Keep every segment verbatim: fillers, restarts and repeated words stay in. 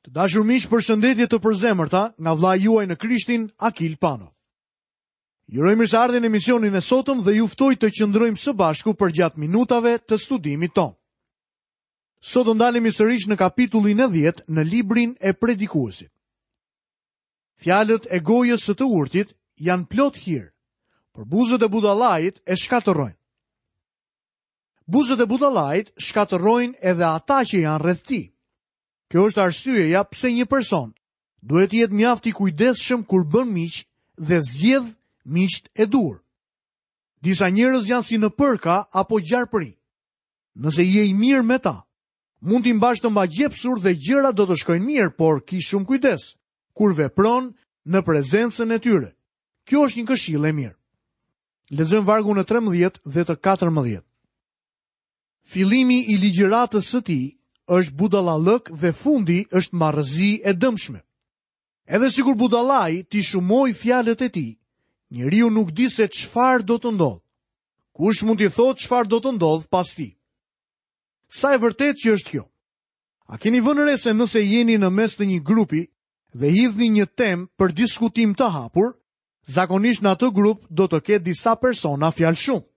Të dashur miq, përshëndetje të përzemërta nga vllai juaj në Krishtin, Akil Pano. Ju uroj mirëseardhjen në emisionin e sotëm dhe ju ftoj të qëndrojmë së bashku përgjatë minutave të studimit tonë. Sot do ndalemi sërish në kapitullin e dhjetë në librin e Predikuesit. Fjalët e gojës së të urtit janë plot hir, por buzët e budallait e shkatërrojnë. Buzët e budallait shkatërrojnë edhe ata që janë rreth tij. Kjo është arsyeja pse një person duhet të jetë mjaft i kujdesshëm kur bën miq dhe zgjedh miqtë e duhur. Disa njerëz janë si në përka apo gjarpëri. Nëse je i mirë me ta, mund t'i mbash të magjepsur dhe gjërat do të shkojnë mirë, por ki shumë kujdes kur vepron në prezencën e tyre. Kjo është një këshillë e mirë. Lexojmë vargun e trembëdhjetë dhe të katërmbëdhjetë. Fillimi i ligjëratës së tij është budallallëk dhe fundi është marrëzi e dëmshme. Edhe sikur budallai t'i shumoj fjalët e tij, njeriu nuk di se çfarë do të ndodhë. Kush mund t'i thotë çfarë do të ndodhë pas tij? Sa e vërtetë që është kjo? A keni vënë re se nëse jeni në mes të një grupi dhe hidhni një temë për diskutim të hapur, zakonisht në atë grup do të ketë disa persona fjalë shumë.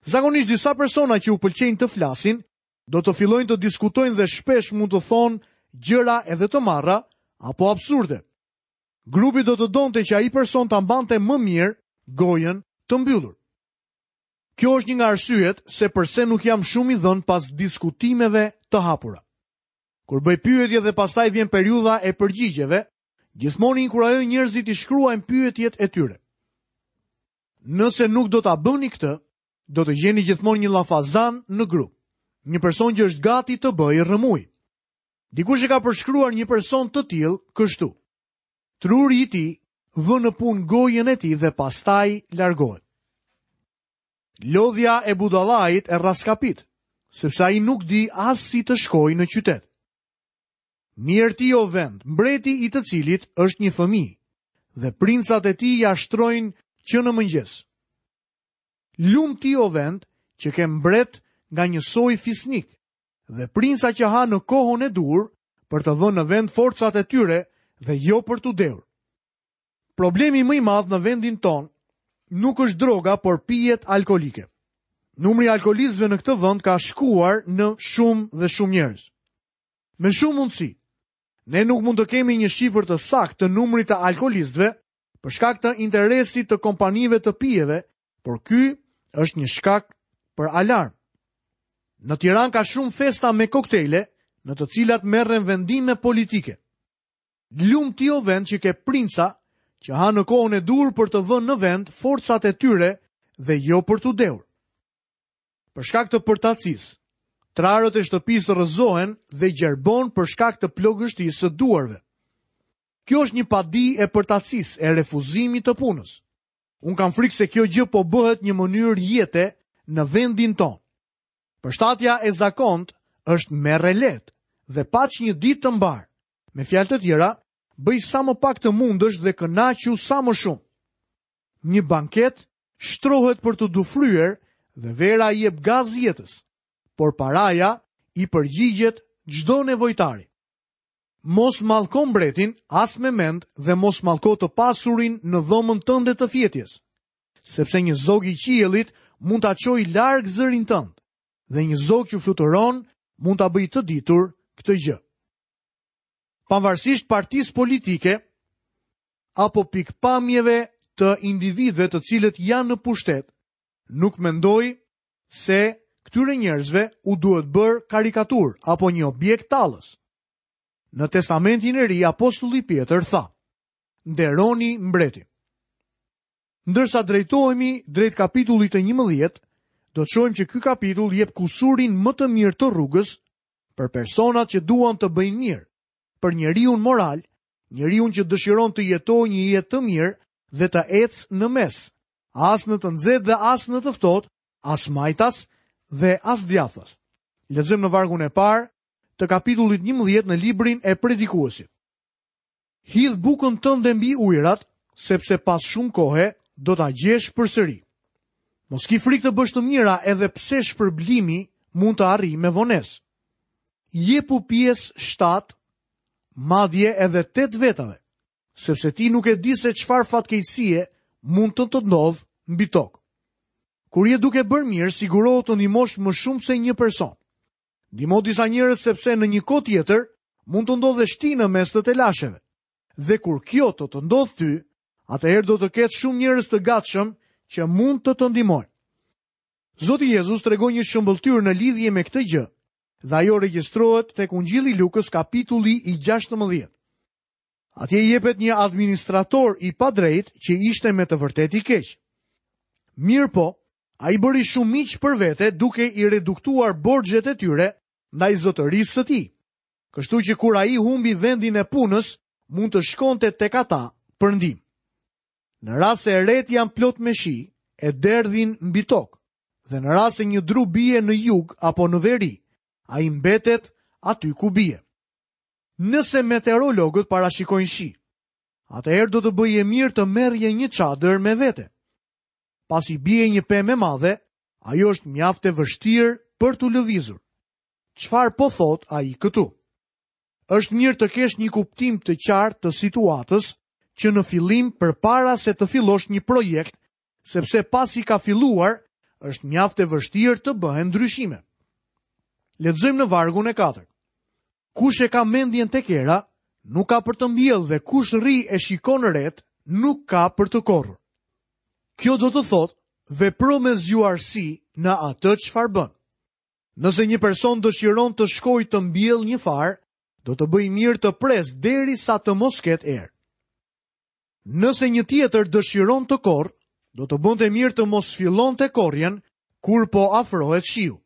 Zakonisht disa persona që u pëlqejnë të flasin, do të fillojnë të diskutojnë dhe shpesh mund të thonë gjëra edhe të marra apo absurde. Grupi do të donte që ai person ta mbante më mirë gojën të mbyllur. Kjo është një nga arsyet se përse nuk jam shumë i dhënë pas diskutimeve të hapura. Kur bëj pyetje dhe pastaj vjen periudha e përgjigjeve, gjithmonë inkurajoj njerëzit të shkruajnë pyetjet e tyre. Nëse nuk do ta bëni këtë, do të gjeni gjithmonë një llafazan në grup, një person që është gati të bëjë rrëmujë. Dikush e ka përshkruar një person të tillë kështu: Truri i tij vë në punë gojën e tij dhe pastaj largohet. Lodhja e budallait e rraskapit, sepse ai nuk di as si të shkojë në qytet. Mirë ti o vend, mbreti i të cilit është një fëmijë, dhe princat e tij ja shtrojnë që në mëngjes. Lum ti o vend që ke mbret nga një soj fisnik, dhe princa që ha në kohën e duhur për të vënë në vend forcat e tyre dhe jo për t'u dehur. Problemi më i madh në vendin ton nuk është droga, por pijet alkoolike. Numri i alkoolistëve në këtë vend ka shkuar në shumë dhe shumë njerëz. Me shumë mundësi, ne nuk mund të kemi një shifër të saktë të numrit të alkoolistëve për shkak të interesit të kompanive të pijeve, por ky është një shkak për alarm. Në Tiranë ka shumë festa me koktejle, në të cilat merren vendime politike. Lum ti o vend që ke princa që ha në kohën e duhur për të vënë në vend forcat e tyre dhe jo për t'u dehur. Për shkak të përtacisë, trarët e shtëpisë rrëzohen dhe gjerbon për shkak të plogështisë së duarve. Kjo është një padi e përtacisë, e refuzimit të punës. Unë kam frikë se kjo gjë po bëhet një mënyrë jete në vendin tonë. Përshtatja e zakont është merre lehtë dhe paç një ditë të mbar. Me fjalë të tjera, bëj sa më pak të mundësh dhe kënaqu sa më shumë. Një banket shtrohet për të dufryer dhe vera i jep gaz jetës, por paraja i përgjigjet çdo nevojtari. Mos mallko mbretin as me mend dhe mos mallko të pasurin në dhomën tënde të fjetjes, sepse një zog i qiellit mund ta çojë larg zërin tënd dhe një zog që fluturon mund ta bëjë të ditur këtë gjë. Pavarësisht partisë politike apo pikpamjeve të individëve të cilët janë në pushtet, nuk mendoj se këtyre njerëzve u duhet bërë karikaturë apo një objekt tallës. Në Testamentin e Ri, apostulli Pjetër tha: "Nderoni mbretin." Ndërsa drejtohemi drejt kapitullit të njëmbëdhjetë, do të shohim që ky kapitull jep kusurin më të mirë të rrugës për personat që duan të bëjnë mirë, për njeriun moral, njeriun që dëshiron të jetojë një jetë të mirë dhe të ecë në mes, as në të nxehtë dhe as në të ftohtë, as majtas dhe as djathtas. Lexojmë në vargun e parë të kapitullit njëmbëdhjetë në librin e Predikuesit. Hidh bukën tënde mbi ujërat, sepse pas shumë kohe do ta gjesh përsëri. Mos ki frikë të bësh të mira edhe pse shpërblimi mund të arrijë me vonesë. Jepu pjesë shtatë madje edhe tetë vetave, sepse ti nuk e di se çfarë fatkeqësie mund të të ndodhë mbi tokë. Kur je duke bërë mirë, sigurohu të ndihmosh më shumë se një person. Ndihmo disa njerëz sepse në një kohë tjetër mund të ndodhesh ti në mes të telasheve. Dhe kur kjo të të ndodhë ty, atëherë do të ketë shumë njerëz të gatshëm që mund të të ndihmojnë. Zoti Jezus tregoi një shëmbëlltyrë në lidhje me këtë gjë, dhe ajo regjistrohet tek Ungjilli i Lukës kapitulli i gjashtëmbëdhjetë. Atje jepet një administrator i padrejt që ishte me të vërtetë i keq. Mirë po, ai bëri shumë miq për vete duke i reduktuar borxhet e tyre ndaj zotërisë së tij. Kështu që kur ai humbi vendin e punës, mund të shkonte tek ata për ndihmë. Në rast se retë janë plot me shi, e derdhin mbi tokë, dhe në rast se një dru bie në jug apo në veri, ai mbetet aty ku bie. Nëse meteorologët parashikojnë shi, atëherë do të bëje mirë të merrje një çadër me vete. Pasi bie një pemë e madhe, ajo është mjaft e vështirë për t'u lëvizur. Çfarë po thot ai këtu? Është mirë të kesh një kuptim të qartë të situatës që në fillim përpara se të fillosh një projekt, sepse pasi ka filluar, është mjaft e vështirë të bëhen ndryshime. Lexojmë në vargun e katërt. Kush e ka mendjen tek era, nuk ka për të mbjellë dhe kush rri e shikon ret, nuk ka për të korrur. Kjo do të thotë, vepro me zgjuarsi në atë çfarë bën. Nëse një person dëshiron të shkojë të mbjellë një farë, do të bëjë mirë të presë derisa të mos ketë erë. Nëse një tjetër dëshiron të korrë, do të bënte mirë të mos fillonte korrjen kur po afrohet shiu.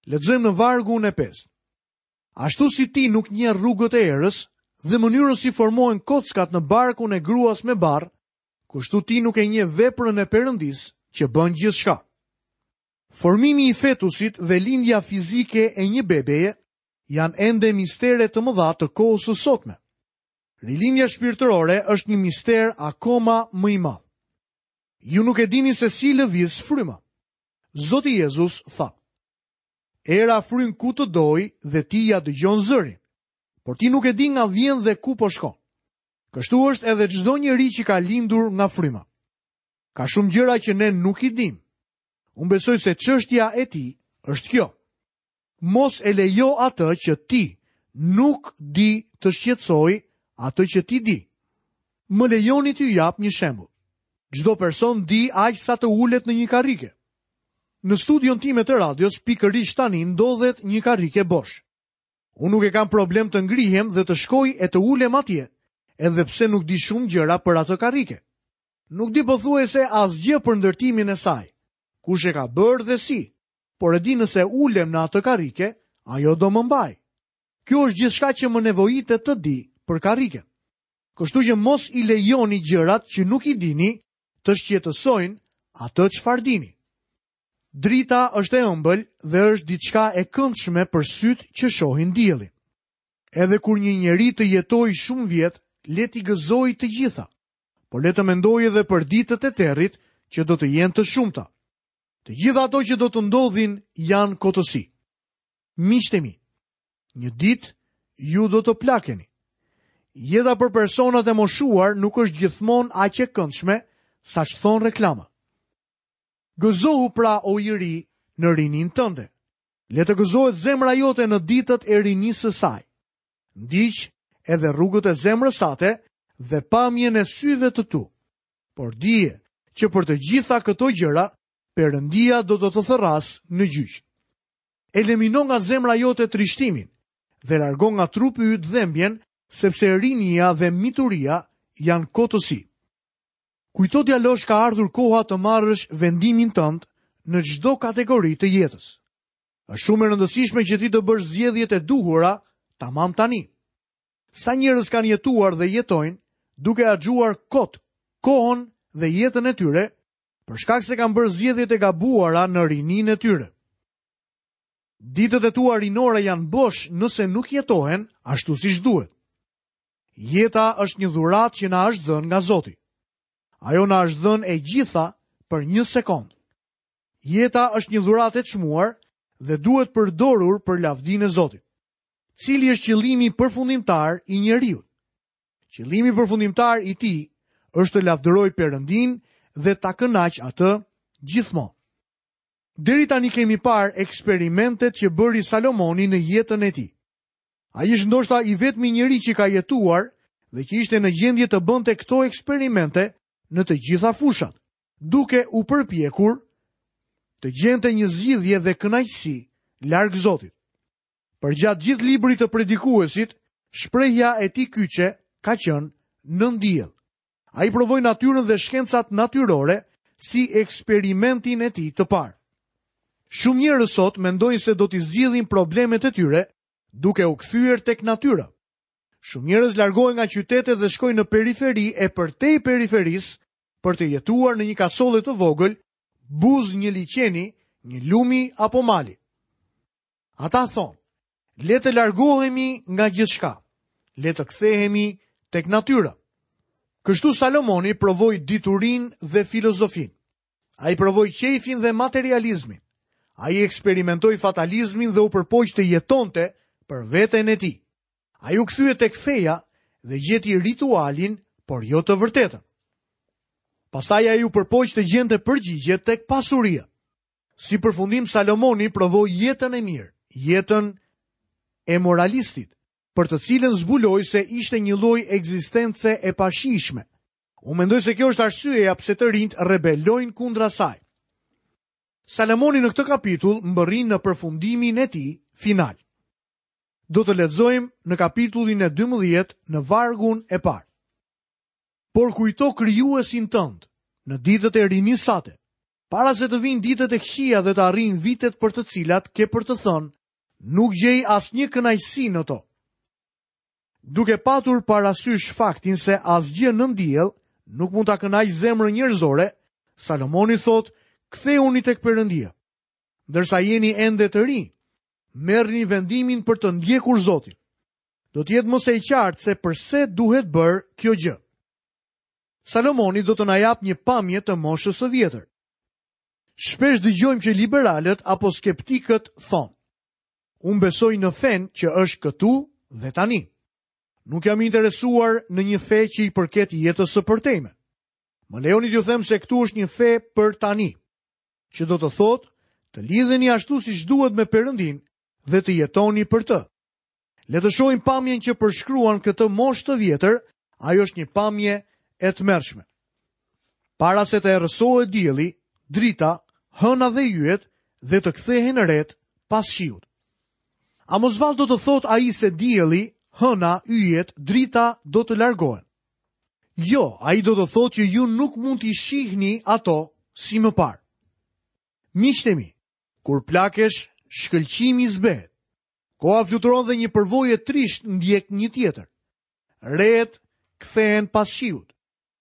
Lexojmë në vargun e pestë. Ashtu si ti nuk njeh rrugët e erës dhe mënyrën si formohen kockat në barkun e gruas me barrë, kështu ti nuk e njeh veprën e Perëndisë që bën gjithçka. Formimi i fetusit dhe lindja fizike e një bebeje janë ende mistere të mëdha të kohës së sotme. Rilindja shpirtërore është një mister akoma më i madh. Ju nuk e dini se si lëviz fryma. Zoti Jezus tha: Era fryn ku të doj dhe ti ja dëgjon zërin, por ti nuk e di nga vjen dhe ku po shkon. Kështu është edhe çdo njeri që ka lindur nga fryma. Ka shumë gjëra që ne nuk i dim. Unë besoj se çështja e tij është kjo. Mos e lejo atë që ti nuk di të shqetësoj atë që ti di. Më lejoni t'ju jap një shembull. Çdo person di aq sa të ulet në një karrike. Në studion time të radios, pikërisht tani ndodhet një karrike bosh. Unë nuk e kam problem të ngrihem dhe të shkoj e të ulem atje, edhe pse nuk di shumë gjëra për atë karrike. Nuk di pothuajse asgjë për ndërtimin e saj, kush e ka bërë dhe si, por e di nëse ulem në atë karrike, ajo do më mbaj. Kjo është gjithçka që më nevojitet të di për karriken. Kështu që mos i lejoni gjërat që nuk i dini të shqetësojnë atë çfarë dini. Drita është e ëmbël dhe është diçka e këndshme për sytë që shohin diellin. Edhe kur një njeri të jetojë shumë vjet, le t'i gëzojë të gjitha, por le të mendojë edhe për ditët e territ që do të jenë të shumta. Të gjitha ato që do të ndodhin janë kotësi. Miqtë e mi, një ditë ju do të plakeni. Jeta për personat e moshuar nuk është gjithmonë aq e këndshme sa ç'thon reklama. Gëzohu pra, o i ri, në rinin tënde. Le të gëzohet zemra jote në ditët e rinisë së saj. Ndiq edhe rrugët e zemrës sate dhe pamjen e syve të tu. Por dije që për të gjitha këto gjëra, Perëndia do të të thërrasë në gjyq. Elimino nga zemra jote trishtimin dhe largo nga trupi yt dhembjen, sepse rinia dhe mituria janë kotësi. Kujto, djalosh, ka ardhur koha të marrësh vendimin tënd në çdo kategori të jetës. Është shumë e rëndësishme që ti të bësh zgjedhjet e duhura tamam tani. Sa njerëz kanë jetuar dhe jetojnë duke harxhuar kot kohën dhe jetën e tyre për shkak se kanë bërë zgjedhjet e gabuara në rininë e tyre. Ditët e tua rinore janë bosh nëse nuk jetohen ashtu siç duhet. Jeta është një dhuratë që na është dhënë nga Zoti. Ajo na është dhënë e gjitha për një sekond. Jeta është një dhuratë e çmuar dhe duhet përdorur për lavdinë e Zotit. Cili është qëllimi përfundimtar i njeriut? Qëllimi përfundimtar i tij është të lavdërojë Perëndin dhe ta kënaqë atë gjithmonë. Deri tani kemi parë eksperimentet që bëri Salomoni në jetën e tij. Ai është ndoshta i vetmi njeri që ka jetuar dhe që ishte në gjendje të bënte këto eksperimente në të gjitha fushat, duke u përpjekur të gjente një zgjidhje dhe kënaqësi larg Zotit. Përgjatë gjithë librit të predikuesit, shprehja e tij kyçe ka qenë nën diell. Ai provoi natyrën dhe shkencat natyrore si eksperimentin e tij të parë. Shumë njerëz sot mendojnë se do t'i zgjidhin problemet e tyre duke u kthyer tek natyra. Shumë njerëz largohen nga qytetet dhe shkojnë në periferi e përtej periferisë për të jetuar në një kasolle të vogël, buzë një liqeni, një lumi apo mali. Ata thonë, le të largohemi nga gjithçka, le të kthehemi tek natyra. Kështu Salomoni provoi diturinë dhe filozofinë. Ai provoi qejfin dhe materializmin. Ai eksperimentoi fatalizmin dhe u përpoq të jetonte për veten e tij. Ai u kthye tek feja dhe gjeti ritualin, por jo të vërtetën. Pastaj ai u përpoq të gjente përgjigje tek pasuria. Si përfundim Salomoni provoi jetën e mirë, jetën e moralistit, për të cilën zbuloi se ishte një lloj ekzistence e pashishme. Unë mendoj se kjo është arsyeja pse të rinjt rebelojnë kundra saj. Salomoni në këtë kapitull mbërrin në përfundimin e tij final. Do të lexojmë në kapitullin e dymbëdhjetë në vargun e parë. Por kujto krijuesin tënd në ditët e rinisë sate, para se të vinë ditët e këqija dhe të arrijnë vitet për të cilat ke për të thënë, nuk gjej asnjë kënaqësi në to. Duke patur parasysh faktin se asgjë nën diell nuk mund ta kënaqë zemrën njerëzore, Salomoni thotë, kthehuni tek Perëndia. Ndërsa jeni ende të rinj, merrni vendimin për të ndjekur Zotin. Do të jetë më se e qartë se përse duhet bërë kjo gjë. Salomoni do të na japë një pamje të moshës së vjetër. Shpesh dëgjojmë që liberalët apo skeptikët thonë, unë besoj në fen që është këtu dhe tani. Nuk jam interesuar në një fe që i përket jetës së përtejme. Më lejoni t'ju them se këtu është një fe për tani, që do të thotë të lidheni ashtu siç duhet me Perëndin dhe të jetoni për të. Le të shohim pamjen që përshkruan këtë moshë të vjetër, ajo është një pamje e tmerrshme. Para se të errësohet dielli, drita, hëna dhe yjet dhe të kthehen ret pas shiut. A mos vallë do të thotë ai se dielli, hëna, yjet, drita do të largohen? Jo, ai do të thotë që ju nuk mund t'i shihni ato si më parë. Miqtë e mi, kur plakesh, shkëlqimi zbehet. Koha fluturon dhe një përvojë e trishtë ndjek një tjetër. Rehet kthehen pas shiut.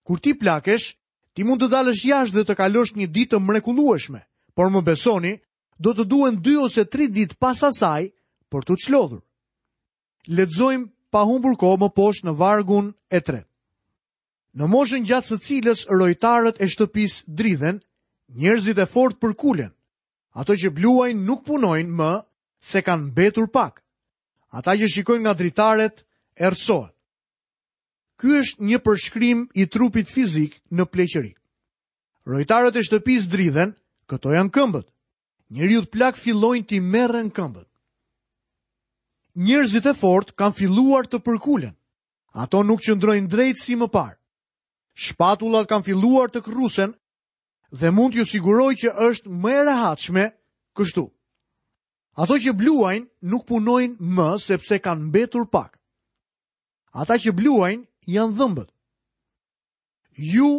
Kur ti plakesh, ti mund të dalësh jashtë dhe të kalosh një ditë të mrekullueshme, por më besoni, do të duhen dy ose tri ditë pas asaj për t'u çlodhur. Lexojmë pa humbur kohë më poshtë në vargun e tretë. Në moshën gjatë së cilës rojtarët e shtëpisë dridhen, njerëzit e fortë përkulen. Ato që bluajnë nuk punojnë më se kanë mbetur pak. Ata që shikojnë nga dritaret errësohen. Ky është një përshkrim i trupit fizik në pleqëri. Rojtarët e shtëpisë dridhen, këto janë këmbët. Njeriut plak fillojnë t'i merren këmbët. Njerëzit e fortë kanë filluar të përkulen. Ato nuk qëndrojnë drejt si më parë. Shpatullat kanë filluar të kërrusen dhe mund t'ju siguroj që është më e rehatshme kështu. Ato që bluajnë nuk punojnë më sepse kanë mbetur pak. Ata që bluajnë janë dhëmbët. Ju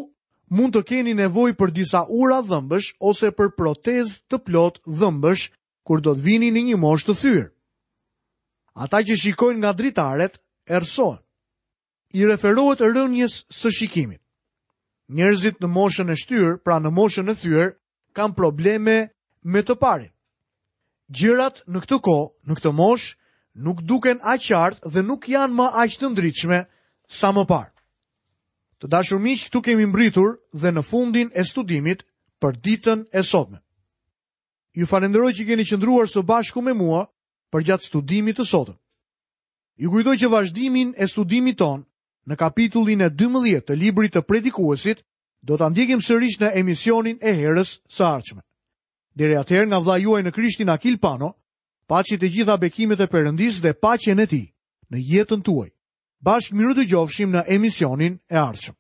mund të keni nevojë për disa ura dhëmbësh ose për protezë të plot dhëmbësh kur do të vini në një moshë të thyer. Ata që shikojnë nga dritaret errësohen. I referohet rënjes së shikimit. Njerëzit në moshën e shtyrë, pra në moshën e thyer, kanë probleme me të parin. Gjërat në këtë kohë, në këtë moshë, nuk duken aq qartë dhe nuk janë më aq të ndritshme sa më parë. Të dashur miq, këtu kemi mbritur dhe në fundin e studimit për ditën e sotme. Ju falenderoj që keni qëndruar së bashku me mua përgjatë studimit të sotëm. Ju kujtoj që vazhdimin e studimit tonë në kapitullin e dymbëdhjetë të librit të Predikuesit do ta ndjekim sërish në emisionin e herës së ardhshme. Deri atëherë nga vëllai juaj në Krishtin Akil Pano, paçi të gjitha bekimet e Perëndisë dhe paqen e tij në jetën tuaj. Bashkë mirudëgjofshim në emisionin e ardhshëm.